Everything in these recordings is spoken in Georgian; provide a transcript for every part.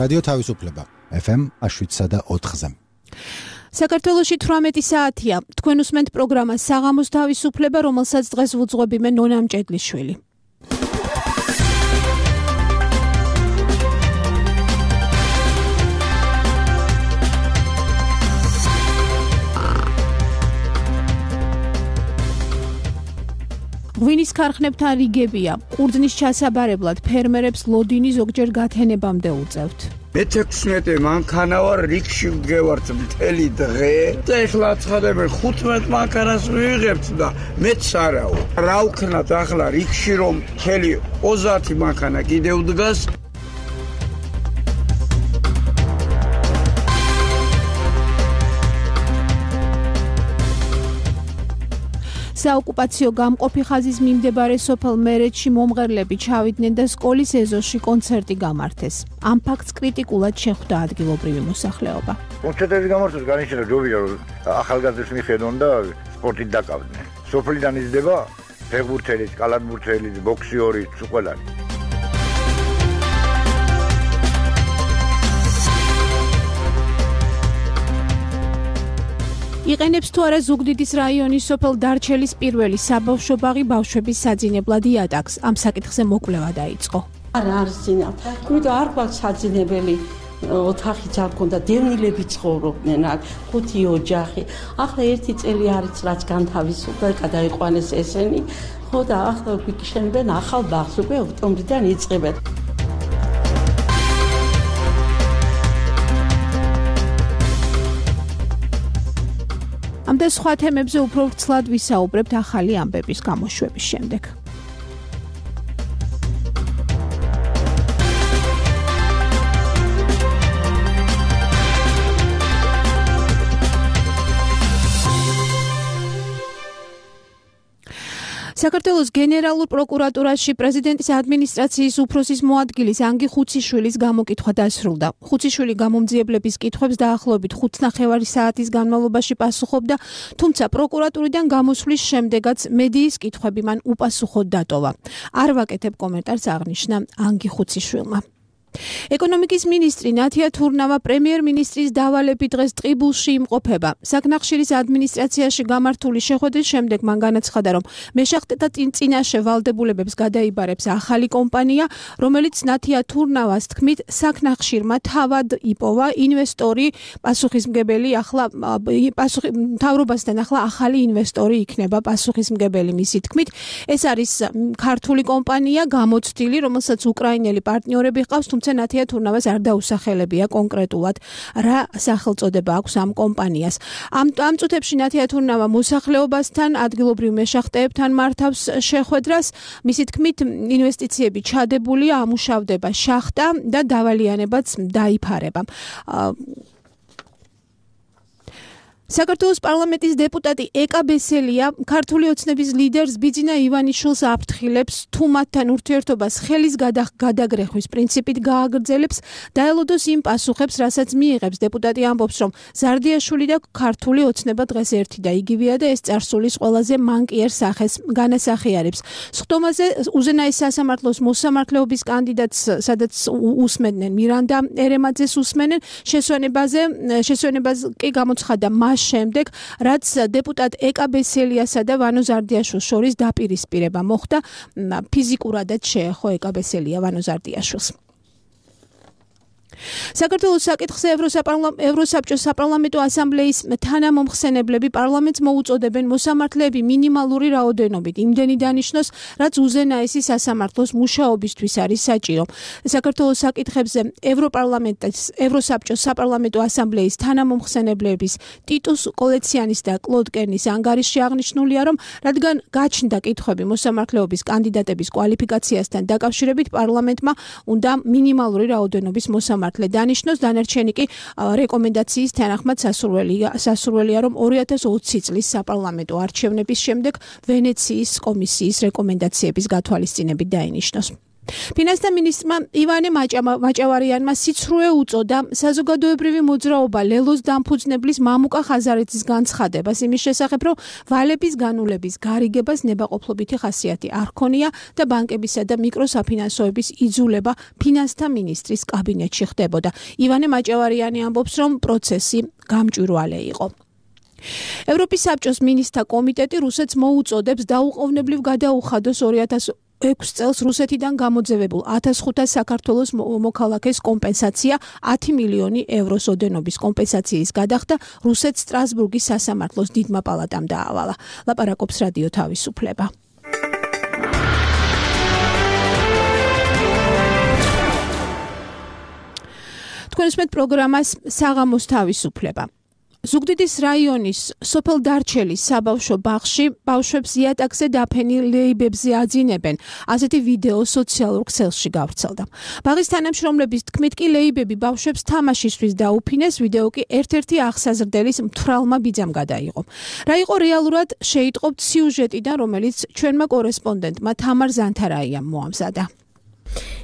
რადიო თავისუფლება FM 7.4-ზე. საქართველოში 18 საათია. თქვენ უსმენთ პროგრამა საღამოს თავისუფლება, რომელსაც დღეს ვუძღვები მე ნონა მჭედლიშვილი. ღვინის ქარხნებთან რიგებია. ყურძნის ჩასაბარებლად ფერმერებს ლოდინი ზოგჯერ გათენებამდე უწევთ. მე-16 მანქანა ვარ, რიგში ვგევართ მთელი დღე და ეხლა ცხადებენ 15 მანქანას ვიღებთ და მეც არაო. რა ვქნათ ახლა რიგში რომ მთელი 30 მანქანა კიდევ დგას. საოკუპაციო გამყოფი ხაზის მიმდებარე სოფელ მერეთში მომღერლები ჩავიდნენ და სკოლის ეზოში კონცერტი გამართეს. ამ ფაქტს კრიტიკულად შეხვდა ადგილობრივი მოსახლეობა. კონცერტების გამართვას განიცადა ჯობია რომ ახალგაზრდებს მიხედონ და სპორტით დაკავდნენ. სოფლიდან იზრდება ფეხბურთელი, კალათბურთელი, ბოქსიორი, ყველანი. იყენებს თუ არა ზუგდიდის რაიონის სოფელ დარჩელის პირველი საბავშვო ბაღი ბავშვების საძინებლად იატაკს. ამ საკითხზე მოკვლევა დაიწყო. არ ზინავთ. იმიტომ არ გვაქვს საძინებელი ოთახიც არ ქონდა, დევნილები ცხოვრობდნენ აქ, 5 ოჯახი. ახლა 1 წელი არის რაც განთავისუფლდა, გადაიყვანეს ესენი. ხო და ახლა გვიქშენებენ ახალ ბაღს, უკვე ოქტომბრიდან იწყებენ. ამ და სხვა თემებზე უფრო ვრცლად ვისაუბრებთ ახალი ამბების გამოშვების შემდეგ. საქართველოს გენერალურ პროკურატურაში პრეზიდენტის ადმინისტრაციის უფროსის მოადგილის ანგი ხუციშვილის გამოკითხვა დასრულდა. ხუციშვილი გამომძიებლების კითხვებს დაახლოებით 5.5 საათის განმავლობაში პასუხობდა, თუმცა პროკურატურიდან გამოსვლის შემდეგაც მედიის კითხვები მან უპასუხოდ დატოვა. არ ვაკეთებ კომენტარს, აღნიშნა ანგი ხუციშვილმა. ეკონომიკის მინისტრი ნათია თურნავა პრემიერ-მინისტრის დავალებით დღეს ტყიბულში იმყოფება. საკნახშირის ადმინისტრაციაში გამართული შეხვედრის შემდეგ მან განაცხადა, რომ მეშახტეთა წინაშე ვალდებულებებს გადაიბარებს ახალი კომპანია, რომელიც ნათია თურნავას თქმით საკნახშირმა თავად იპოვა ინვესტორი პასუხისმგებელი, ახლა მთავრობასთან ახლა ახალი ინვესტორი იქნება პასუხისმგებელი მისი თქმით. ეს არის ქართული კომპანია გამოცდილი, რომელსაც უკრაინელი პარტნიორები ჰყავს, ნათია თურნავას არ დაუსახელებია კონკრეტულად რა სახელწოდება აქვს ამ კომპანიას. ამ წუთებში ნათია თურნავა მოსახლეობასთან, ადგილობრივ მეშახტეებთან მართავს შეხვედრას. მისი თქმით, ინვესტიციები ჩადებულია, ამუშავდება შახტა და დავალიანებაც დაიფარება. საქართველოს პარლამენტის დეპუტატი ეკა ბესელია ქართული ოცნების ლიდერს ბიძინა ივანიშვილს აფრთხილებს, თუ მათთან ურთიერთობას ხელის გადაგრეხვის პრინციპით გააგრძელებს, დაელოდოს იმ პასუხებს, რასაც მიიღებს. დეპუტატი ამბობს, რომ ზარდიაშვილი და ქართული ოცნება დღეს ერთი და იგივეა და ეს წარსულის ყველაზე მანკიერ სახეს განასახიერებს. სხდომაზე უზენაეს სასამართლოს მოსამართლეობის კანდიდატს, სადაც უსმენდნენ მირანდა ერემაძეს უსმენენ, შესვენებას კი გამოცხადა შემდეგ, რაც დეპუტატ ეკა ბესელიასა და ვანო ზარდიაშვილს შორის დაპირისპირება მოხდა, ფიზიკურადაც შეეხო ეკა ბესელია ვანო ზარდიაშვილს. საქართველოს საკითხზე ევროსაბჭოს საპარლამენტო ასამბლეის თანამომხსენებლები პარლამენტს მოუწოდებენ მოსამართლეები მინიმალური რაოდენობით იმდენი დანიშნოს, რაც უზენაესი სასამართლოს მუშაობისთვის არის საჭირო. საქართველოს საკითხებზე ევროსაბჭოს საპარლამენტო ასამბლეის თანამომხსენებლების ტიტუს კოლეციანის და კლოდ კერნის ანგარიშში აღნიშნულია, რომ რადგან გაჩნდა კითხვები მოსამართლეობის კანდიდატების კვალიფიკაციასთან დაკავშირებით, პარლამენტმა უნდა მინიმალური რაოდენობის მოსამართლე დანიშნოს, დანარჩენი კი რეკომენდაციის თანახმად სასურველია, რომ 2020 წლის საპარლამენტო არჩევნების შემდეგ ვენეციის კომისიის რეკომენდაციების გათვალისწინებით დაინიშნოს. ფინანსთა მინისტრმა ივანე მაჭავარიანმა სიცრუე უწოდა საზოგადოებრივი მოძრაობა ლელოს დამფუძნებლის მამუკა ხაზარეთის განცხადებას იმის შესახებ, რომ ვალების განულების გარიგებას ნებაყოფლობითი ხასიათი არ ჰქონია და ბანკებისა და მიკროსაფინანსოების იძულება ფინანსთა მინისტრის კაბინეტში ხდებოდა. ივანე მაჭავარიანი ამბობს, რომ პროცესი გამჭვირვალე იყო. ევროპის საბჭოს მინისტრთა კომიტეტი რუსეთს მოუწოდებს დაუყოვნებლივ გადაუხადოს 2006 წელს რუსეთიდან გამოძევებულ 1500 საქართველოს მოქალაქეს კომპენსაცია 10 მილიონი ევროს ოდენობის კომპენსაციის გადახდა რუსეთს სტრასბურგის სასამართლოს დიდმა პალატამ დაავალა. ლაპარაკობს რადიო თავისუფლება. თქვენ უსმენთ პროგრამას საღამოს თავისუფლება. ზუგდიდის რაიონის სოფელ დარჩელის საბავშვო ბაღში ბავშვებს იატაკზე დაფენილ ლეიბებზე აძინებენ. ასეთი ვიდეო სოციალურ ქსელში გავრცელდა. ბაღის თანამშრომლების თქმით კი ლეიბები ბავშვებს თამაშისთვის დაუფინეს, ვიდეო კი ერთ-ერთი აღსაზრდელის მთვრალმა ბიძამ გადაიღო. რა იყო რეალურად შეიტყობთ სიუჟეტიდან, რომელიც ჩვენმა კორესპონდენტმა თამარ ზანთარაიამ მოამზადა.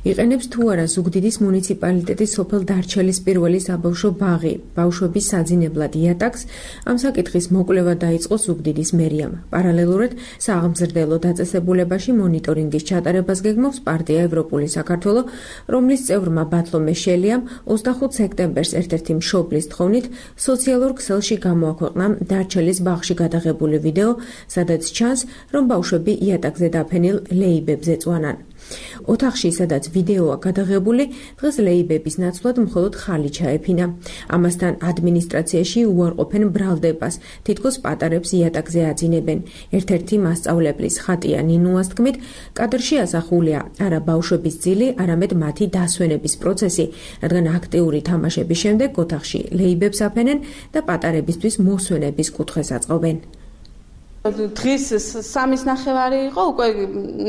იყენებს თუ არა ზუგდიდის მუნიციპალიტეტის სოფელ დარჩელის პირველი საბავშვო ბაღი ბავშვების საძინებლად იატაკს, ამ საკითხის მოკვლევა დაიწყო ზუგდიდის მერიამ. პარალელურად სააღმზრდელო დაწესებულებაში მონიტორინგის ჩატარებას გეგმავს პარტია ევროპული საქართველო, რომლის წევრმა ბათლომე შელიამ 25 სექტემბერს ერთ-ერთი მშობლის თხოვნით სოციალურ ქსელში გამოაქვეყნა დარჩელის ბაღში გადაღებული ვიდეო, სადაც ჩანს, რომ ბავშვები იატაკზე დაფენილ ლეიბებზე წვანან. ოთახში, სადაც ვიდეოა გადაღებული, დღეს ლეიბების ნაცვლად მხოლოდ ხალი ჩაეფინა. ამასთან ადმინისტრაციაში უარყოფენ ბრალდებას, თითქოს პატარებს იატაკზე აძინებენ. ერთ-ერთი მასწავლებლის ხატია ნინუას თქმით, კადრში ასახულია არა ბავშვების ძილი, არამედ მათი დასვენების პროცესი, რადგან აქტიური თამაშების შემდეგ ოთახში ლეიბებს აფენენ და პატარებისთვის მოსვენების კუთხეს აწყობენ. დღის 3:30 იყო, უკვე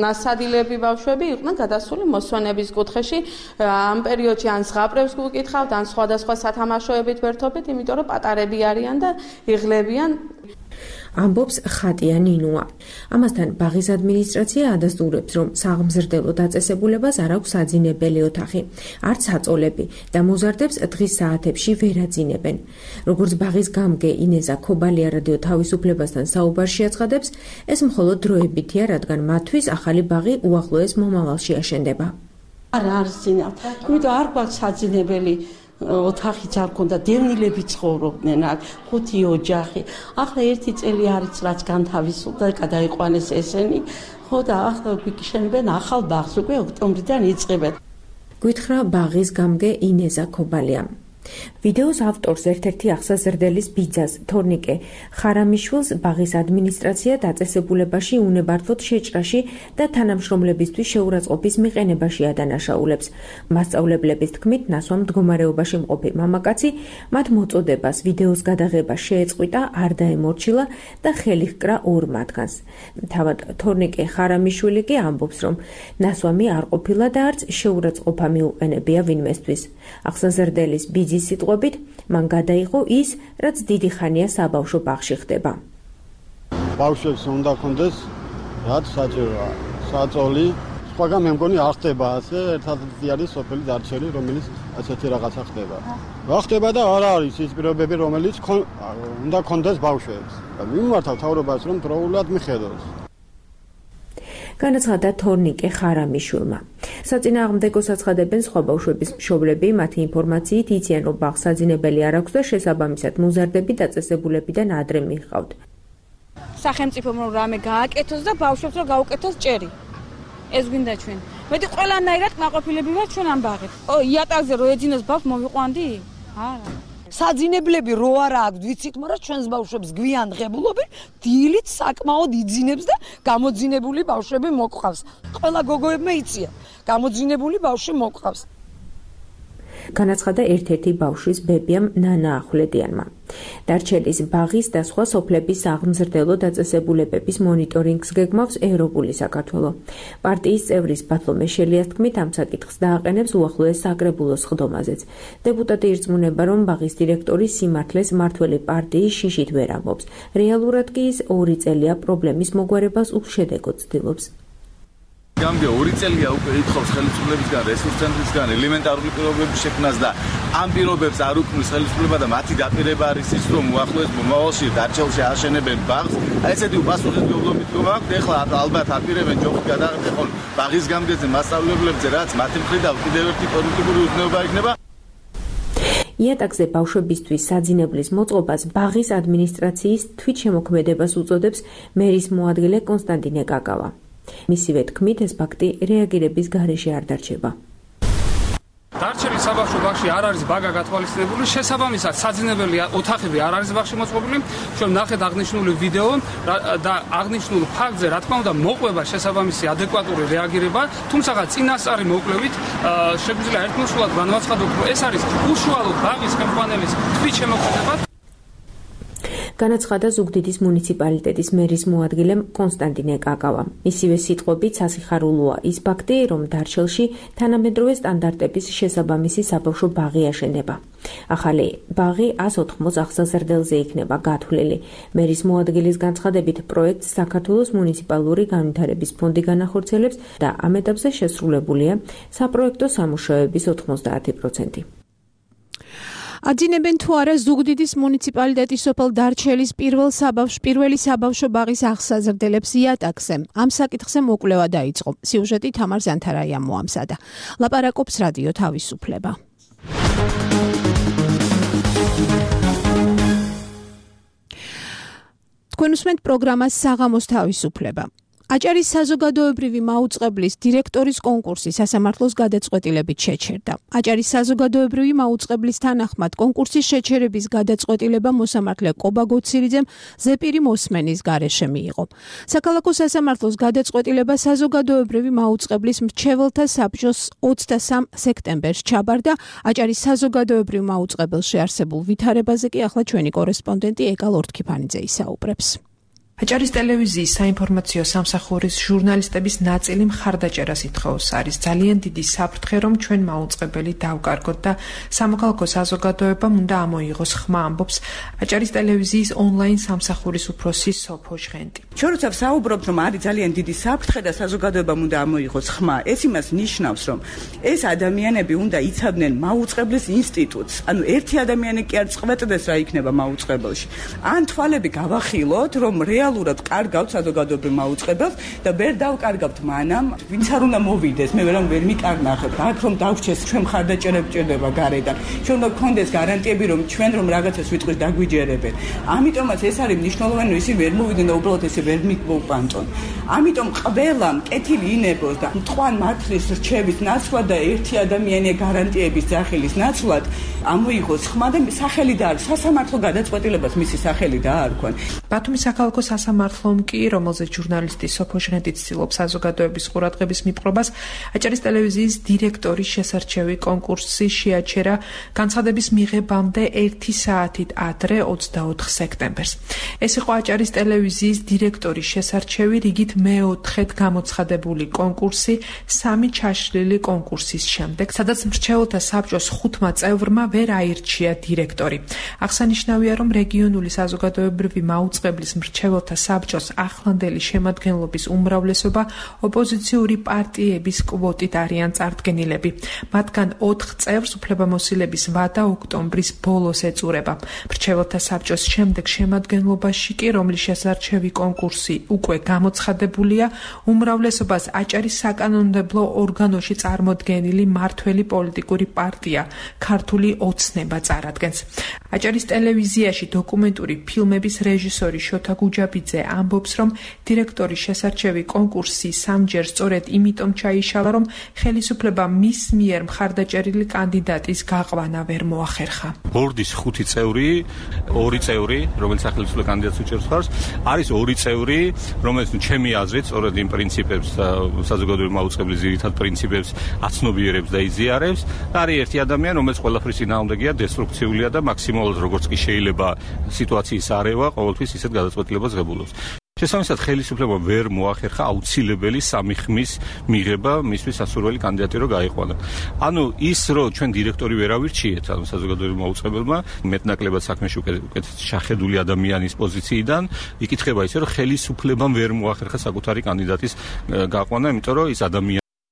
ნასადილები ბავშვები იყვნენ გადასული მოსვენების კუთხეში. ამ პერიოდში ან ზღაპრებს გუკითხავთ, ან სხვადასხვა სათამაშოებით ვერთობით, იმიტომ რომ პატარები არიან და იღლებიან. ამბობს ხატია ნინუა. ამასთან ბაღის ადმინისტრაცია ადასტურებს, რომ სააღმზრდელო დაწესებულებას არ აქვს საძინებელი ოთახი, არც აწოლები და მოზარდებს დღის საათებში ვერ აძინებენ. როგორც ბაღის გამგე ინეზა ქობალია რადიო თავისუფლებასთან საუბარში აცხადებს, ეს მხოლოდ დროებითია, რადგან მათთვის ახალი ბაღი უახლოეს მომავალში აშენდება. არ ზინავთ, იმიტომ არ გვაქვს საძინებელი ოთახიც არ ქონდა, დევნილები ცხოვრობდნენ აქ, 5 ოჯახი. ახლა 1 წელი არის რაც განთავისუფლდა, გადაიყვანეს ესენი, ხო და ახლა გვიქიშენებენ ახალ ბაღს, უკვე ოქტომბრიდან იწყებენ. გვითხრა ბაღის გამგე ინეზა ქობალია. ვიდეოს ავტორს ერთ-ერთი აღსაზრდელის ბიძას, თორნიკე ხარამიშვილს ბაღის ადმინისტრაცია დაწესებულებაში უნებართვოდ შეჭრაში და თანამშრომლებისთვის შეურაცხყოფის მიყენებაში ადანაშაულებს. მასწავლებლების თქმით, ნასვამ მდგომარეობაში მყოფი მამაკაცი მათ მოწოდებას ვიდეოს გადაღება შეეწყვიტა, არ დაემორჩილა და ხელი ჰკრა 2 მათგანს. თავად თორნიკე ხარამიშვილი კი ამბობს, რომ ნასვამი არ ყოფილა და არც შეურაცხყოფა მიუყენებია ვინმესთვის. აღსაზრდელის ბიძის სიტყვებით, მან გადაიღო ის, რაც დიდი ხანია საბავშვო ბაღში ხდება. ბავშვებს უნდა კონდეს რაც საჭიროა, საწოლი, სხვაგან მე მგონი არ ხდება ასე, ერთადერთი არის სოფელი დარჩელი, რომელიც ასეთი რაღაცა ხდება. რა ხდება და არ არის ის პირობები, რომელიც უნდა კონდეს ბავშვებს. მიმართავ თავრობას, რომ დროულად მიხედოს. განაცხადა თორნიკე ხარამიშვილმა. საწინააღმდეგო საცხადებენ სხვა ბავშვების მშობლები, მათი ინფორმაციით იციან, რომ ბაღს საძინებელი არ აქვს და შესაბამისად მოზარდები დაწესებულებიდან ადრე მიჰყავთ. სახელმწიფომ რომ რამე გააკეთოს და ბავშვებს რომ გაუკეთოს ჭერი. ეს გვინდა ჩვენ. მეტი ყველანაირად კმაყოფილები ვართ ჩვენ ამ ბაღით. იატაკზე რო ეძინოს ბავშვს მოვიყვანდი? არა. საძინებლები რო არა აქვს, ვიცით, მაგრამ ჩვენს ბავშვებს გვიან ღებულობენ, დილით საკმაოდ იძინებს და გამოძინებული ბავშვები მოყავს. ყველა გოგოებმა იციან, გამოძინებული ბავშვი მოყავს. განაცხადა ერთ-ერთი ბავშვის ბებიამ ნანა ახვლედიანმა. დარჩელის ბაღის და სხვა სოფლების სააღმზრდელო დაწესებულებების მონიტორინგს გეგმავს ევროპული საქართველო. პარტიის წევრის ბათლომე შელიას თქმით, ამ საკითხს დააყენებს უახლოეს საკრებულოს სხდომაზეც. დეპუტატი ირწმუნება, რომ ბაღის დირექტორი სიმართლეს მმართველი პარტიის შიშით ვერ ამბობს. რეალურად კი ის 2 წელია პრობლემის მოგვარებას უშედეგოდ ცდილობს. გამგე 2 წელია უკვე ითხოვს ხელისუფლებისგან, რესურს ცენტრისგან ელემენტარული პირობების შექმნას და ამ პირობებს არ უქმნის ხელისუფლება და მათი დაპირება არის ის, რომ უახლოეს მომავალში დარჩელში აშენებენ ბაღს. აი ესეთი უპასუხისმგებლო მიდგომა აქვს. ეხლა ალბათ აპირებენ ჯოხი გადაღებონ ბაღის გამგეზე მასწავლებლებზე, რაც მათი მხრიდან კიდევ ერთი პოლიტიკური უზნეობა იქნება. იატაკზე ბავშვებისთვის საძინებლის მოწყობას ბაღის ადმინისტრაციის თვითშემოქმედებას უწოდებს მერის მოადგილე კონსტანტინე კაკავა. მისივე თქმით, ეს ფაქტი რეაგირების გარეშე არ დარჩება. დარჩენის საბავშვო ბაღში არ არის ბაგა გათვალისწინებული, შესაბამისად საძინებელი ოთახები არ არის ბაღში მოწყობილი. ჩვენ ნახეთ აღნიშნული ვიდეო და აღნიშნულ ფაქტზე, რა თქმა უნდა, მოყვება შესაბამისი ადეკვატური რეაგირება, თუმცა წინასწარი მოკვლევით შეგვიძლია ერთმოსულად განვაცხადოთ, რომ ეს არის უშუალოდ ბაღის ხელმძღვანელის თვითშემოქმედება. განაცხადა ზუგდიდის მუნიციპალიტეტის მერის მოადგილემ კონსტანტინე კაკავა. მისივე სიტყვებით სასიხარულოა ის ფაქტი, რომ დარჩელში თანამედროვე სტანდარტების შესაბამისი საბავშვო ბაღი აშენდება. ახალი ბაღი 180 აღსაზრდელზე იქნება გათვლილი. მერის მოადგილის განცხადებით, პროექტს საქართველოს მუნიციპალური განვითარების ფონდი განახორციელებს და ამ ეტაპზე შესრულებულია საპროექტო სამუშაოების 90%. აძინებენ თუ არა ზუგდიდის მუნიციპალიტეტის სოფელ დარჩელის პირველი საბავშვო ბაღის აღსაზრდელებს იატაკზე. ამ საკითხზე მოკვლევა დაიწყო. სიუჟეტი თამარ ზანთარაიამ მოამზადა. ლაპარაკობს რადიო თავისუფლება. თქვენ უსმენთ პროგრამას საღამოს თავისუფლება. აჭარის საზოგადოებრივი მაუწყებლის დირექტორის კონკურსი სასამართლოს გადაწყვეტილებით შეჩერდა. აჭარის საზოგადოებრივი მაუწყებლის თანახმად კონკურსის შეჩერების გადაწყვეტილება მოსამართლე კობა გოცირიძემ ზეპირი მოსმენის გარეშე მიიღო. საქალაქო სასამართლოს გადაწყვეტილება საზოგადოებრივი მაუწყებლის მრჩეველთა საბჭოს 23 სექტემბერს ჩაბარდა. აჭარის საზოგადოებრივ მაუწყებელში არსებულ ვითარებაზე კი ახლა ჩვენი კორესპონდენტი ეკა ლორთქიფანიძე ისაუბრებს. აჭარის ტელევიზიის საინფორმაციო სამსახურის ჟურნალისტების ნაწილი მხარდაჭერას ითხოვს. არის ძალიან დიდი საფრთხე, რომ ჩვენ მაუწყებელი დავკარგოთ და სამოქალაქო საზოგადოებამ უნდა ამოიღოს ხმა, ამბობს აჭარის ტელევიზიის ონლაინ სამსახურის უფროსი სოფო ჟღენტი. ჩვენ როცა ვსაუბრობთ, რომ არის ძალიან დიდი საფრთხე და საზოგადოებამ უნდა ამოიღოს ხმა, ეს იმას ნიშნავს, რომ ეს ადამიანები უნდა იცავდნენ მაუწყებლის ინსტიტუტს. ანუ ერთი ადამიანი კი არ წყვეტდეს რა იქნება მაუწყებელში. ან თვალები გავახილოთ, რომ რეალურად კარგავთ საზოგადოებრივ მაუწყებელს და ვერ დავკარგავთ მანამ, ვინც არ უნდა მოვიდეს, მე ვერ მიკარნახებ. აქ რომ დავჩეს, ჩვენ მხარდაჭერა გჭირდება გარედან. ჩვენ უნდა გქონდეს გარანტიები, რომ ჩვენ რომ რაღაცას ვიტყვით დაგვიჯერებენ. ამიტომაც ეს არის მნიშვნელოვანი, ისინი ვერ მოვიდნენ და უბრალოდ ესე ვერ მოვპანტონ. ამიტომ ყველამ კეთილი ინებოს და მტყვან მართლის რჩევის ნაცვლად და ერთი ადამიანი გარანტიების ძახილის ნაცვლად ამოიღოს ხმა და სახელი დაარქვეს სასამართლო გადაწყვეტილებას მისი სახელი დაარქვენ. ბათუმის საქალაქო სასამართლომ კი, რომელზეც ჟურნალისტი სოფო ჟღენტი ცდილობს საზოგადოების ყურადღების მიპყრობას, აჭარის ტელევიზიის დირექტორის შესარჩევი კონკურსი შეაჩერა განცხადების მიღებამდე 1 საათით ადრე 24 სექტემბერს. ეს იყო აჭარის ტელევიზიის დირექტორის შესარჩევი რიგით მეოთხედ გამოცხადებული კონკურსი 3 ჩაშლილი კონკურსის შემდეგ, სადაც მრჩეველთა საბჭოს 5 წევრმა ვერ აირჩია დირექტორი. აღსანიშნავია, რომ რეგიონული საზოგადოებრივი მაუწყებლის მრჩეველთა საბჭოს ახლანდელი შემადგენლობის უმრავლესობა ოპოზიციური პარტიების კვოტით არიან წარდგენილები. მათგან 4 წევრს უფლებამოსილების ვადა ოქტომბრის ბოლოს ეწურება. მრჩეველთა საბჭოს შემდეგ შემადგენლობაში კი, რომლის შესარჩევი კონკურსი უკვე გამოცხადებულია, უმრავლესობას აჭარის საკანონმდებლო ორგანოში წარმოდგენილი მართველი პოლიტიკური პარტია ქართული ოცნება წარადგენს. აჭარის ტელევიზიაში დოკუმენტური ფილმების რეჟისორი შოთა გუჯაბიძე ამბობს, რომ დირექტორის შესარჩევი კონკურსი სამჯერ სწორედ იმიტომ ჩაიშალა, რომ ხელისუფლება მის მიერ მხარდაჭერილი კანდიდატის გაყვანა ვერ მოახერხა. ბორდის 5 წევრი, 2 წევრი, რომელიც სახელმწიფო კანდიდატს უჭერს ხარს, არის 2 წევრი, რომელიც ჩემი აზრით სწორედ იმ პრინციპებს, საზოგადოებრივი მაუწყებლის ძირითად პრინციპებს აცნობიერებს და იზიარებს. და არის ერთი ადამიანი, რომელიც ყველაფრის წინააღმდეგია, დესტრუქციულია და მაქსიმალურად როგორც კი შეიძლება სიტუაციის არევა, ყოველთვის ისეთ გადაწყვეტილებას ღებულობს. შესაბამისად ხელისუფლებამ ვერ მოახერხა აუცილებელი სამი ხმის მიღება მისთვის სასურველი კანდიდატი რო გაიყვანა. ანუ ის რო ჩვენ დირექტორი ვერ ავირჩიეთ, ანუ საზოგადოებრივ მაუწყებელმა მეტნაკლებად საქმეში უკეთ შეხედული ადამიანის პოზიციიდან იკითხება ისე რომ ხელისუფლებამ ვერ მოახერხა საკუთარი კანდიდატის გაყვანა, იმიტომ რომ ის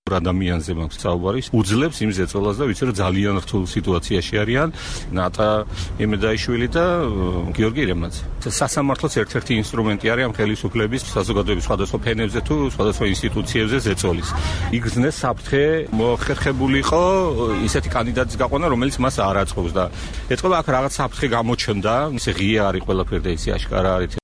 ადამიანზე მაქვს საუბარი, უძლებს იმ ზეწოლას და ვიცი რომ ძალიან რთულ სიტუაციაში არიან ნატა იმედაიშვილი და გიორგი რემაძე. სასამართლოს ერთ-ერთი ინსტრუმენტი არის ამ ხელისუფლების საზოგადოების სხვადასხვა ფენებზე თუ სხვადასხვა ინსტიტუციებზე ზეწოლის. იგრძნეს საფრთხე მოხერხებულიყო ისეთი კანდიდატის გაყვანა, რომელიც მას არ აწყობს და ეთქობა აქ რაღაც საფრთხე გამოჩნდა, ისე ღია არის ყველაფერი და ისე აშკარა არის.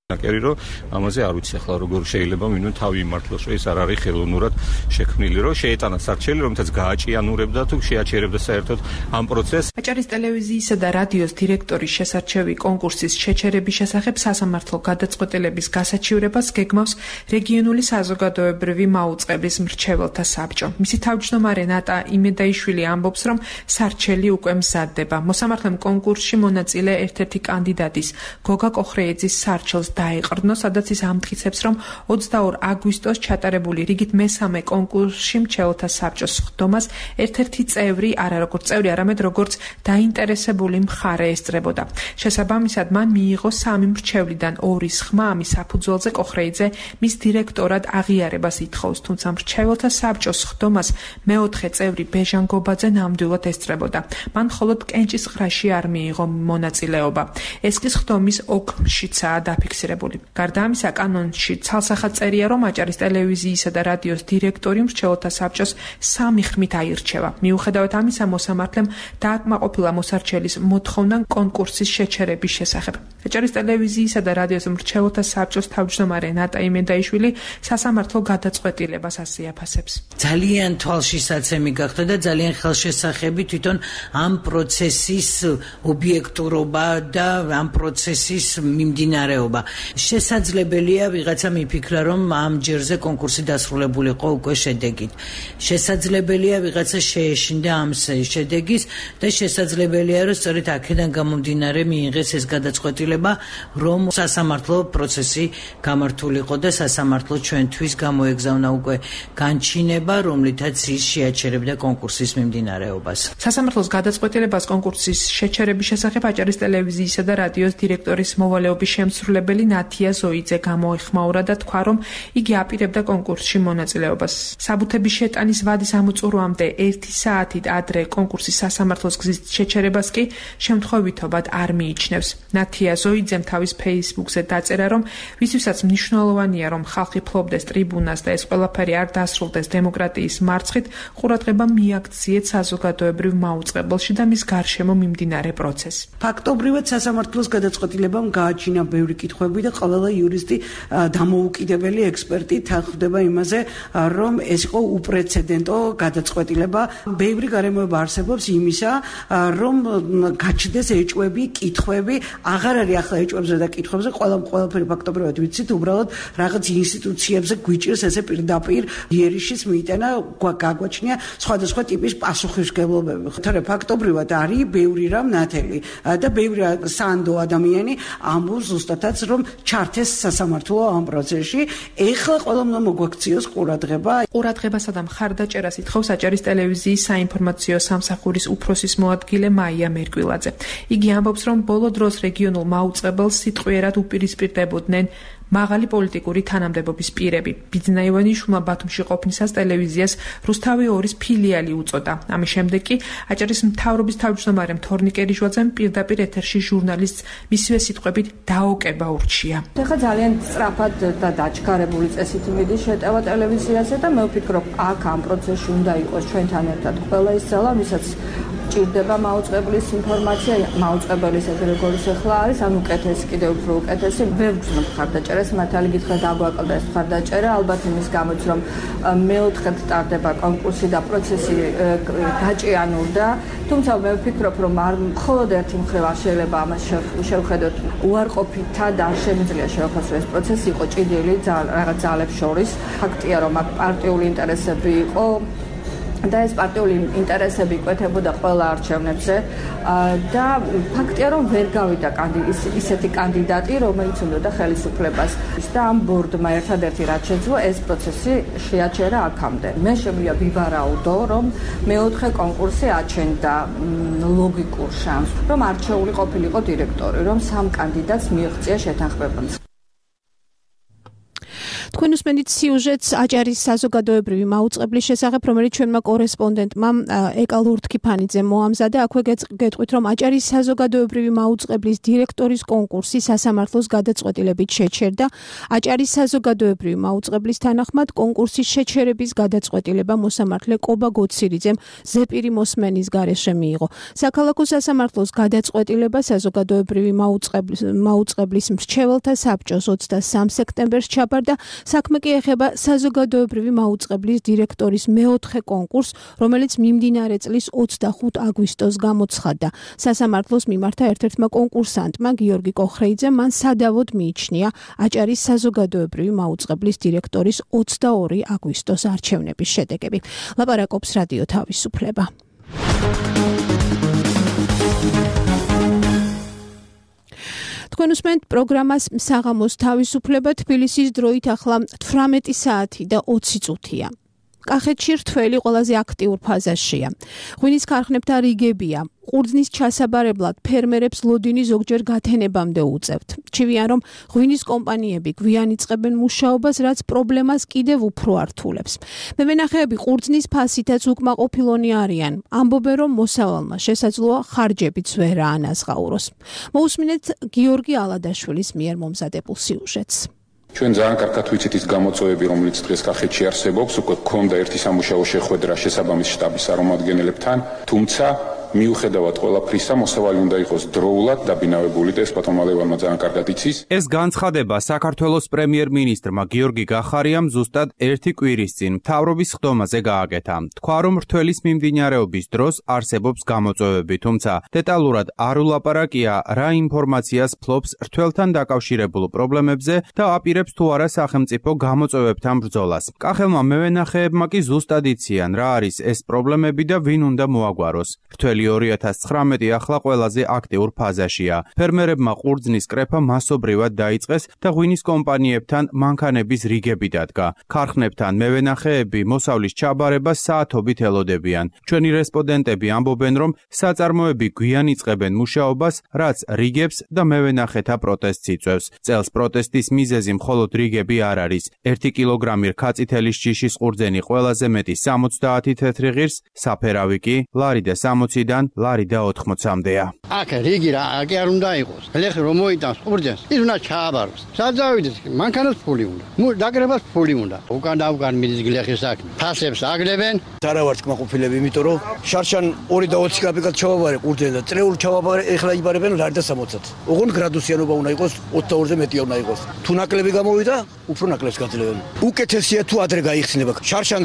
ნაკერი რომ ამაზე არ ვიცი ახლა როგორ შეიძლება მინიმუმ თავი იმართლოს რომ ეს არ არის ხელოვნურად შექმნილი რომ შეეტანა სარჩელი რომელთაც გააჭიანურებდა თუ შეაჩერებდა საერთოდ ამ პროცესს. აჭარის ტელევიზიისა და რადიოს დირექტორის შესარჩევი კონკურსის შეჩერების შესახებ სასამართლო გადაწყვეტილების გასაჩივრებას გეგმავს რეგიონული საზოგადოებრივი მაუწყებლის მრჩეველთა საბჭო. მისი თავმჯდომარე ნატა იმედაიშვილი ამბობს რომ სარჩელი უკვე მზადდება. მოსამართლემ კონკურსში მონაწილე ერთ-ერთი კანდიდატის გოგა კოხრეიძის სარჩელს დაიყრდნო, სადაც ის ამტკიცებს, რომ 22 აგვისტოს ჩატარებული რიგით მესამე კონკურსში მრჩეველთა საბჭოს ხდომას ერთ-ერთი წევრი, არა როგორც წევრი, არამედ როგორც დაინტერესებული მხარე ესწრებოდა. შესაბამისად, მან მიიღო 3 მრჩევლიდან 2-ის ხმა ამის საფუძველზე კოხრეიძე მის დირექტორად აღიარებას ითხოვს, თუმცა მრჩეველთა საბჭოს ხდომას მეოთხე წევრი ბეჟან გობაძე ნამდვილად ესწრებოდა. მან მხოლოდ კენჭისყრაში არ მიიღო მონაწილეობა. ეს კი ხდომის ოქმშიცაა დაფიქსირებული. გარდა ამისა, კანონში ცალსახად წერია, რომ აჭარის ტელევიზიისა და რადიოს დირექტორი მრჩეველთა საბჭოს 3 ხმით აირჩევა. მიუხედავად ამისა, მოსამართლემ დააკმაყოფილა მოსარჩელის მოთხოვნა კონკურსის შეჩერების შესახებ. აჭარის ტელევიზიისა და რადიოს მრჩეველთა საბჭოს თავმჯდომარე ნატა იმედაიშვილი სასამართლო გადაწყვეტილებას ასე აფასებს. ძალიან თვალშისაცემი გახდა და ძალიან ხელშესახები თვითონ ამ პროცესის ობიექტურობა და ამ პროცესის მიმდინარეობა. შესაძლებელია ვიღაცა მიფიქრა, რომ ამ ჯერზე კონკურსი დასრულებულიყო უკვე შედეგით. შესაძლებელია ვიღაცა შეეშინდა ამ შედეგის და შესაძლებელია რომ სწორედ აქედან გამომდინარე მიიღეს ეს გადაწყვეტილება, რომ სასამართლო პროცესი გამართულიყო და სასამართლო ჩვენთვის გამოეგზავნა უკვე განჩინება, რომლითაც ის შეაჩერებდა კონკურსის მიმდინარეობას. სასამართლოს გადაწყვეტილებას კონკურსის შეჩერების შესახებ აჭარის ტელევიზიისა და რადიოს დირექტორის მოვალეობის შემსრულებელი ნათია ზოიძე გამოეხმაურა და თქვა, რომ იგი აპირებდა კონკურსში მონაწილეობას. საბუთების შეტანის ვადის ამოწურვამდე 1 საათით ადრე კონკურსის სასამართლოს გზის შეჩერებას კი შემთხვევითობად არ მიიჩნევს. ნათია ზოიძემ თავის ფეისბუქზე დაწერა, რომ ვისთვისაც მნიშვნელოვანია, რომ ხალხი ფლობდეს ტრიბუნას და ეს ყველაფერი არ დასრულდეს დემოკრატიის მარცხით, ყურადღება მიაქციეთ საზოგადოებრივ მაუწყებელში და მის გარშემო მიმდინარე პროცესს. ფაქტობრივად სასამართლოს გადაწყვეტილებამ გააჩინა ბევრი კითხვები და ყველა იურისტი დამოუკიდებელი ექსპერტი თანხმდება იმაზე, რომ ეს იყო უპრეცედენტო გადაწყვეტილება. ბევრი გარემოება არსებობს იმისა, რომ გაჩნდეს ეჭვები, კითხვები, აღარ არის ახლა ეჭვებზე და კითხვებზე, ყველაფერი ფაქტობრივად ვიცით, უბრალოდ რაღაც ინსტიტუციებზე გვიჭირს ესე პირდაპირ იერიშის მიიტანა, გაგვაჩნია სხვადასხვა ტიპის პასუხისმგებლობები. თორე ფაქტობრივად არის ბევრი რამ ნათელი და ბევრი სანდო ადამიანი ამბობს ზუსტადაც, რომ ჩართეს სასამართლო ამ პროცესში. ეხლა ყველამ უნდა მოგვაქციოს ყურადღება. ყურადღებასა და მხარდაჭერას ითხოვს აჭარის ტელევიზიის საინფორმაციო სამსახურის უფროსის მოადგილე მაია მერკვილაძე. იგი ამბობს, რომ ბოლო დროს რეგიონულ მაუწყებელს სიტყვიერად უპირისპირდებოდნენ მაღალი პოლიტიკური თანამდებობის პირები. ბიძინა ივანიშვილმა ბათუმში ყოფნისას ტელევიზიას რუსთავი 2-ის ფილიალი უწოდა. ამის შემდეგ კი აჭარის მთავრობის თავმჯდომარემ თორნიკე რიჟვაძემ პირდაპირ ეთერში ჟურნალისტს მისივე სიტყვებით დაოკება ურჩია. ეხლა ძალიან სწრაფად და დაჩქარებული წესით მიდის შეტევა ტელევიზიაზე და მე ვფიქრობ, აქ ამ პროცესში უნდა იყოს ჩვენთან ერთად ყველა ის ძალა, ვისაც ჭირდება მაუწყებლის ინფორმაცია, მაუწყებლის ეს როგორიც ახლა არის, ან უკეთესი, კიდევ უფრო უკეთესი. ვერ ვგრძნობ მხარდაჭერას, მართალი გითხრათ დაგვაკლდა ეს მხარდაჭერა, ალბათ იმის გამოც, რომ მეოთხედ ტარდება კონკურსი და პროცესი გაჭიანურდა, თუმცა მე ვფიქრობ, რომ არ მხოლოდ ერთი მხრივ არ შეიძლება ამას შევხედოთ უარყოფითად, არ შემიძლია შევახსოვოთ, რომ ეს პროცესი იყო ჭიდილი რაღაც ძალებს შორის. ფაქტია, რომ აქ პარტიული ინტერესები იყო და ეს პარტიული ინტერესები იკვეთებოდა ყველა არჩევნებზე და ფაქტია რომ ვერ გავიდა ისეთი კანდიდატი რომელიც უნდა ხელისუფლებას და ამ ბორდმა ერთადერთი რაც შეძლო ეს პროცესი შეაჩერა აქამდე მე შემიძლია ვივარაუდო რომ მეოთხე კონკურსი აჩენდა ლოგიკურ შანსს რომ არჩეული ყოფილიყო დირექტორი რომ სამ კანდიდატს მიაღწია შეთანხმებას თქვენ უსმენთ სიუჟეტს აჭარის საზოგადოებრივი მაუწყებლის შესახებ, რომელიც ჩვენმა კორესპონდენტმა ეკა ლურთქიფანიძემ მოამზადა. აქვე გეტყვით, რომ აჭარის საზოგადოებრივი მაუწყებლის დირექტორის კონკურსი სასამართლოს გადაწყვეტილებით შეჩერდა. აჭარის საზოგადოებრივი მაუწყებლის თანახმად კონკურსის შეჩერების გადაწყვეტილება მოსამართლე კობა გოცირიძემ ზეპირი მოსმენის გარეშე მიიღო. საქალაქო სასამართლოს გადაწყვეტილება საზოგადოებრივი მაუწყებლის მრჩეველთა საბჭოს 23 სექტემბერს ჩაბარდა. საქმე კი ეხება საზოგადოებრივი მაუწყებლის დირექტორის მეოთხე კონკურსს, რომელიც მიმდინარე წლის 25 აგვისტოს გამოცხადდა. სასამართლოს მიმართა ერთ-ერთმა კონკურსანტმა გიორგი კოხრეიძემ მან სადავოდ მიიჩნია აჭარის საზოგადოებრივი მაუწყებლის დირექტორის 22 აგვისტოს არჩევნების შედეგები. ლაპარაკობს რადიო თავისუფლება. თქვენ უსმენთ პროგრამას საღამოს თავისუფლება თბილისის დროით ახლა 18 საათი და 20 წუთია. კახეთში რთველი ყველაზე აქტიურ ფაზაშია. ღვინის ქარხნებთან რიგებია. ყურძნის ჩასაბარებლად ფერმერებს ლოდინი ზოგჯერ გათენებამდე უწევთ. ჩივიან რომ ღვინის კომპანიები გვიან იწყებენ მუშაობას, რაც პრობლემას კიდევ უფრო ართულებს. მევენახეები ყურძნის ფასითაც უკმაყოფილონი არიან. ამბობენ რომ მოსავალმა შესაძლოა ხარჯებიც ვერ აანაზღაუროს. მოусმინეთ გიორგი ალადაშვილის მიერ მომზადებულ სიუჟეტს. ჩვენ ძალიან კარგად ვიცით ის გამოწვევები, რომელიც დღეს კახეთში არსებობს, უკვე გქონდა ერთი სამუშაო შეხვედრა შესაბამის შტაბის წარმომადგენლებთან, თუმცა მიუხედავად ყველაფრისა, მოსავალი უნდა იყოს დროულად დაბინავებული და ეს პატომალებმა ძალიან კარგად იცის. ეს განცხადება საქართველოს პრემიერ-მინისტრმა გიორგი გახარიამ ზუსტად ერთი კვირის წინ მთავრობის ხდომაზე გააკეთა. თქვა რომ რთველის მიმდინარეობის დროს არსებობს გამოწვევები, თუმცა დეტალურად არ ულაპარაკია რა ინფორმაციას ფლობს რთველთან დაკავშირებულ პრობლემებზე და აპირებს თუ არა სახელმწიფო გამოწვევებთან ბრძოლას. კახელმა მევენახეებმა კი ზუსტად იციან რა არის ეს პრობლემები და ვინ უნდა მოაგვაროს. რთველი 2019 ახლა ყველაზე აქტიურ ფაზაშია. ფერმერებმა ყურძნის კრეფა მასობრივად დაიწყეს და ღვინის კომპანიებთან მანქანების რიგები დადგა. ქარხნებთან მევენახეები მოსავლის ჩაბარებას საათობით ელოდებიან. ჩვენი რესპონდენტები ამბობენ, რომ საწარმოები გვიან იწყებენ მუშაობას, რაც რიგებს და მევენახეთა პროტესტს იწვევს. წელს პროტესტის მიზეზი მხოლოდ რიგები არ არის. 1 კილოგრამი რქაწითელის ჯიშის ყურძენი ყველაზე მეტი 70 თეთრი ღირს, საფერავი კი ლარი და 60-დან ლარი და 80-მდეა. აქ რიგი რა არ უნდა იყოს. ელეხი რომ მოიტანს ყურძენს, ის უნდა ჩააბაროს. სადავიდეს, მანქანას ფული უნდა. დაგრებას ფული უნდა. უკან დავგან მიდის გლეხის საქმე. ფასებს აგლებენ. არა ვარ კმაყოფილები, იმიტომ რომ შარშან 2 და 20 კაპიკად ჩავაბარე ყურძენს და წრეულ ჩავაბარე, ეხლა იბარებენ ლარი და 60. ოღონდ გრადუსიანობა უნდა იყოს 22-ზე მეტი უნდა იყოს. თუ ნაკლები გამოვიდა, უფრო ნაკლებს გაძლევენ. უკეთესია თუ ადრე გაიხსნება. შარშან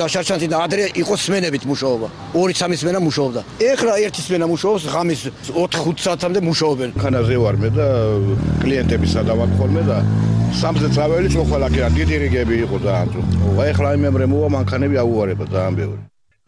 და ადრე იყოს სმენებით მუშაობა. 2-3 სმენა მუშაობდა. ეხლა ერთი სმენა მუშაობს, ღამის 4-5 საათამდე მუშაობენ. ხანაზე ვარ მე და კლიენტები სადავარ ხოლმე და სამზე წაველი წოხალაკი რა დიდი რიგები იყო ძალიან ძუ. ეხლა იმემრე მოვა მანქანები აუვარება ძალიან ბევრი.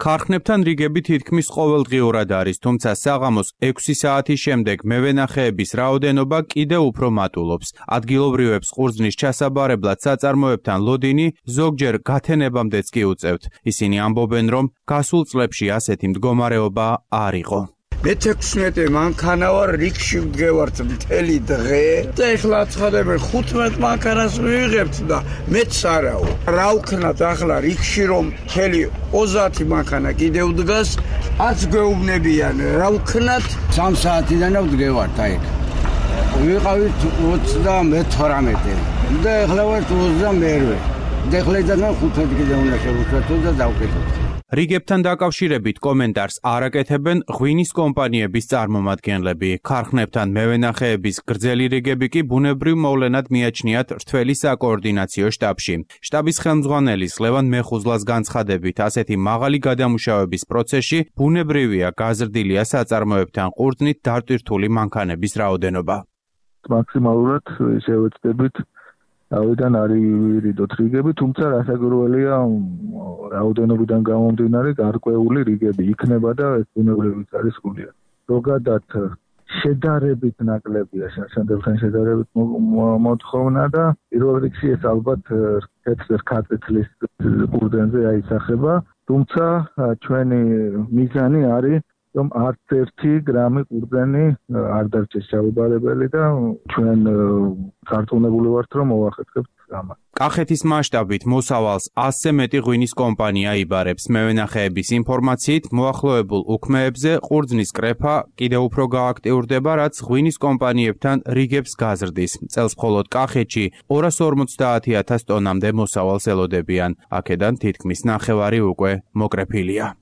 ქარხნებთან რიგები თითქმის ყოველდღიურად არის, თუმცა საღამოს 6 საათის შემდეგ მევენახეების რაოდენობა კიდევ უფრო მატულობს. ადგილობრივებს ყურძნის ჩასაბარებლად საწარმოებთან ლოდინი ზოგჯერ გათენებამდეც კი უწევთ. ისინი ამბობენ, რომ გასულ წლებში ასეთი მდგომარეობა არ იყო. მე 16 მანქანა ვარ, რიგში ვდგევართ მთელი დღე და ეხლა ცხადებენ 15 მანქანას ვიღებთ და მეც არაო. რა ვქნათ ახლა რიგში რომ მთელი 30 მანქანა კიდევ დგას, არც გვეუბნებიან რა ვქნათ. 3 საათიდან ვდგევართ აი. ვიყავით 32 და ეხლა ვარ 22. და ეხლა იძახნა 15 კიდევ უნდა შევუშვათ და დავკეთოთ. რიგებთან დაკავშირებით კომენტარს არ აკეთებენ ღვინის კომპანიების წარმომადგენლები. ქარხნებთან მევენახეების გრძელი რიგები კი ბუნებრივ მოვლენად მიაჩნიათ რთველი საკოორდინაციო შტაბში. შტაბის ხელმძღვანელის ლევან მეხუზლას განცხადებით, ასეთი მაღალი გადამუშავების პროცესში ბუნებრივია გაზრდილია საწარმოებთან ყურძნით დატვირთული მანქანების რაოდენობა. მაქსიმალურად შევეცდებით ავიდან არ ირიდოთ რიგები, თუმცა რასაკვირველია რაოდენობიდან გამომდინარე გარკვეული რიგები იქნება და ეს ბუნებრივიც არის გულია. ზოგადად შედარებით ნაკლებია შენდებთან შედარებით მოთხოვნა და პირველ რიგში ეს ალბათ ქართლის კურდენზე აისახება, თუმცა ჩვენი მიზანი არის რომ არც ერთი გრამი კურდენი არ დარჩეს ჩაუბარებელი და ჩვენ გართულებული ვართ რომ მოვახერხებთ ამას. კახეთის მასშტაბით მოსავალს 100-ზე მეტი ღვინის კომპანია იბარებს. მევენახეების ინფორმაციით, მოახლოებულ უქმეებზე ყურძნის კრეფა კიდევ უფრო გააქტიურდება, რაც ღვინის კომპანიებთან რიგებს გაზრდის. წელს მხოლოდ კახეთში 250,000 ტონამდე მოსავალს ელოდებიან. აქედან თითქმის ნახევარი უკვე მოკრეფილია.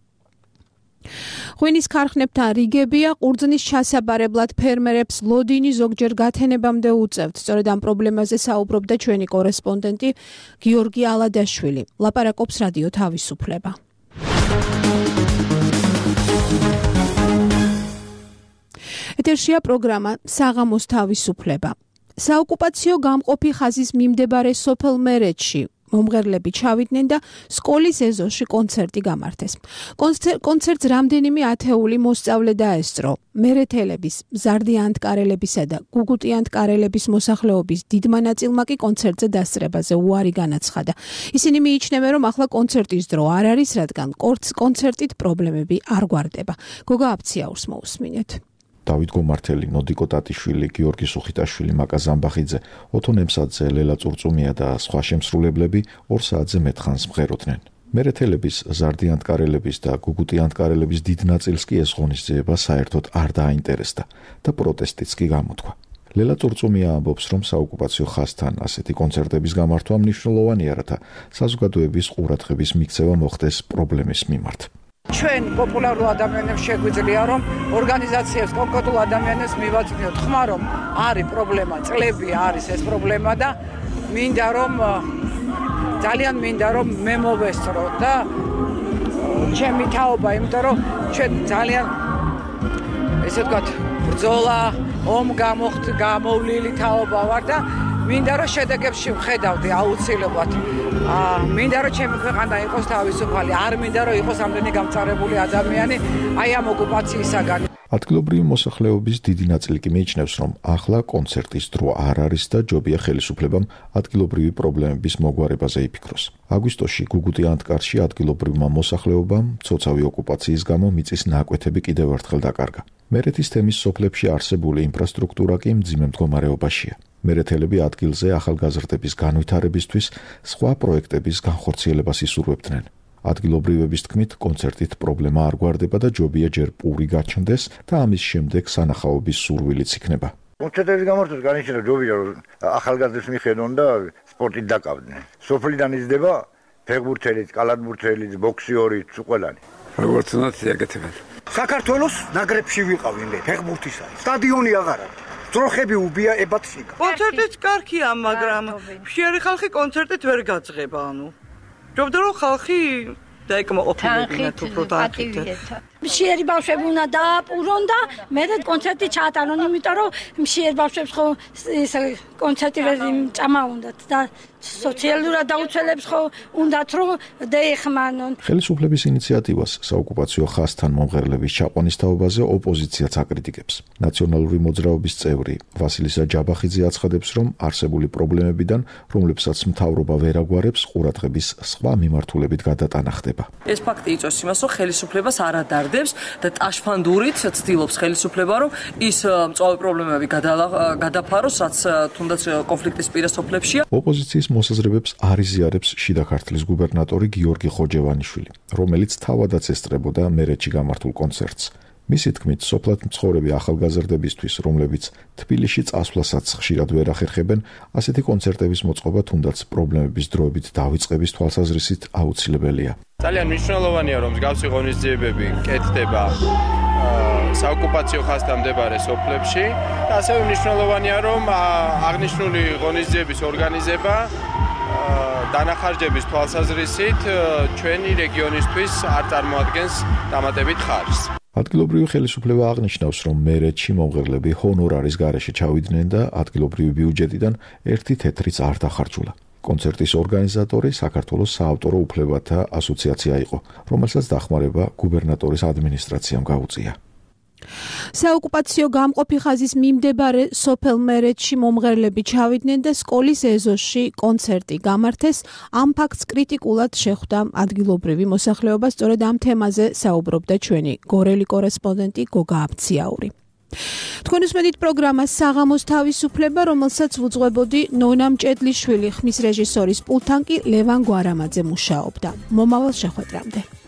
ღვინის ქარხნებთან რიგებია, ყურძნის ჩასაბარებლად ფერმერებს ლოდინი ზოგჯერ გათენებამდე უწევთ. სწორედ ამ პრობლემაზე საუბრობდა ჩვენი კორესპონდენტი გიორგი ალადაშვილი. ლაპარაკობს რადიო თავისუფლება. ეთერშია პროგრამა საღამოს თავისუფლება. საოკუპაციო გამყოფი ხაზის მიმდებარე სოფელ მერეთში მომღერლები ჩავიდნენ და სკოლის ეზოში კონცერტი გამართეს. კონცერტს რამდენიმე ათეული მოსწავლე დაესწრო. მერეთელების, მზარდიანტკარელებისა და გუგუტიანტკარელების მოსახლეობის დიდმა ნაწილმა კი კონცერტზე დასწრებაზე უარი განაცხადა. ისინი მიიჩნევენ, რომ ახლა კონცერტის დრო არ არის, რადგან კონცერტით პრობლემები არ გვარდება. გოგა აფციაურს მოусმინეთ. დავით გომართელი, ნოდიკო ტატიშვილი, გიორგი სუხიტაშვილი, მაკა ზამბახიძე, ოთო ნემსაძე, ლელა წურწუმია და სხვა შემსრულებლები 2 საათზე მეტ ხანს მღეროდნენ. მერეთელების, ზარდიანტკარელების და გუგუტიანტკარელების დიდ ნაწილს კი ეს ღონისძიება საერთოდ არ დააინტერესდა და პროტესტიც კი გამოთქვა. ლელა წურწუმია ამბობს, რომ საოკუპაციო ხაზთან ასეთი კონცერტების გამართვა მნიშვნელოვანია, რათა საზოგადოების ყურადღების მიქცევა მოხდეს პრობლემის მიმართ. ჩვენ პოპულარულ ადამიანებს შეგვიძლია რომ ორგანიზაციებს კონკრეტულ ადამიანებს მივაწვდიოთ ხმა რომ არის პრობლემა, წლები არის ეს პრობლემა და მინდა რომ ძალიან მინდა რომ მე მოვესწრო და ჩემი თაობა, იმიტომ რომ ჩვენ ძალიან ესე ვთქვათ ბრძოლა, ომ გამოვლილი თაობა ვარ და მინდა რომ შედეგებში ვხედავდი აუცილებლად. მინდა რომ ჩემი ქვეყანა იყოს თავისუფალი, არ მინდა რომ იყოს ამდენი გამწარებული ადამიანი აი ამ ოკუპაციისაგან. ადგილობრივი მოსახლეობის დიდი ნაწილი კი მიიჩნევს, რომ ახლა კონცერტის დრო არ არის და ჯობია ხელისუფლებამ ადგილობრივი პრობლემების მოგვარებაზე იფიქროს. აგვისტოში გუგუტიანტკარში ადგილობრივმა მოსახლეობამ მცოცავი ოკუპაციის გამო მიწის ნაკვეთები კიდევ ერთხელ დაკარგა. მერეთის თემის სოფლებში არსებული ინფრასტრუქტურა კი მძიმე მდგომარეობაშია. მერეთელები ადგილზე ახალგაზრდების განვითარებისთვის სხვა პროექტების განხორციელებას ისურვებდნენ. ადგილობრივების თქმით, კონცერტით პრობლემა არ გვარდება და ჯობია ჯერ პური გაჩნდეს და ამის შემდეგ სანახაობის სურვილიც იქნება. კონცერტების გამართვას განიჩინა ჯობია რომ ახალგაზრდებს მიხედონ და სპორტით დაკავდნენ. სოფლიდან იზრდება ფეხბურთელიც, კალათბურთელიც, ბოქსიორიც, ყველანი. როგორც უნდა ეკეთებენ. საქართველოს ნაკრებში ვიყავენ ფეხბურთისა. სტადიონი აღარ არის. ძროხები უბია ებად შიგა. კონცერტიც კარგია, მაგრამ მშიერი ხალხი კონცერტით ვერ გაძღება, ანუ. ჯობდა რომ ხალხი დაეკმაყოფილებინათ უფრო დააკეთეთ. მშიერი ბავშვები უნდა დააპურონ და მე კონცერტი ჩაატარონ, იმიტომ რომ მშიერ ბავშვებს ხო ეს კონცერტი ვერ ჭამა უნდათ და სოციალურად დაუცველებს ხო უნდათ რომ დაეხმანონ. ხელისუფლების ინიციატივას საოკუპაციო ხაზთან მომღერლების ჩაყვანის თაობაზე ოპოზიციაც აკრიტიკებს. ნაციონალური მოძრაობის წევრი ვასილისა ჯაბახიძე აცხადებს, რომ არსებული პრობლემებიდან, რომლებსაც მთავრობა ვერ აგვარებს, ყურადღების სხვა მიმართულებით გადატანა ხდება. ეს ფაქტი იწვევს იმას, რომ ხელისუფლებას არ ადარდებს და ტაშფანდურით ცდილობს ხელისუფლება, რომ ის მწვავე პრობლემები გადაფაროს, რაც თუნდაც კონფლიქტის პირა სოფლებშია. ოპოზიციის მოსაზრებებს არ იზიარებს შიდა ქართლის გუბერნატორი გიორგი ხოჯევანიშვილი, რომელიც თავადაც ესწრებოდა მერეთში გამართულ კონცერტს. მისი თქმით, სოფლად მცხოვრები ახალგაზრდებისთვის, რომლებიც თბილისში წასვლასაც ხშირად ვერ ახერხებენ, ასეთი კონცერტების მოწყობა თუნდაც პრობლემების დროებით დავიწყების თვალსაზრისით აუცილებელია. ძალიან მნიშვნელოვანია, რომ მსგავსი ღონისძიებები კეთდება საოკუპაციო ხაზთან მდებარე სოფლებში და ასევე მნიშვნელოვანია, რომ აღნიშნული ღონისძიების ორგანიზება დანახარჯების თვალსაზრისით ჩვენი რეგიონისთვის არ წარმოადგენს დამატებით ხარჯს. ადგილობრივი ხელისუფლება აღნიშნავს, რომ მერეთში მომღერლები ჰონორარის გარეშე ჩავიდნენ და ადგილობრივი ბიუჯეტიდან 1 თეთრიც არ დახარჯულა. კონცერტის ორგანიზატორი საქართველოს საავტორო უფლებათა ასოციაცია იყო, რომელსაც დახმარება გუბერნატორის ადმინისტრაციამ გაუწია. საოკუპაციო გამყოფი ხაზის მიმდებარე სოფელ მერეთში მომღერლები ჩავიდნენ და სკოლის ეზოში კონცერტი გამართეს. ამ ფაქტს კრიტიკულად შეხვდა ადგილობრივი მოსახლეობა, სწორედ ამ თემაზე საუბრობდა ჩვენი გორელი კორესპონდენტი გოგა აბციაური. თქვენ უსმენთ პროგრამას საღამოს თავისუფლება, რომელსაც ვუძღვებოდი ნონა მჭედლიშვილი, ხმის რეჟისორის პულტთან კი ლევან გვარამაძე მუშაობდა. მომავალ შეხვედრამდე.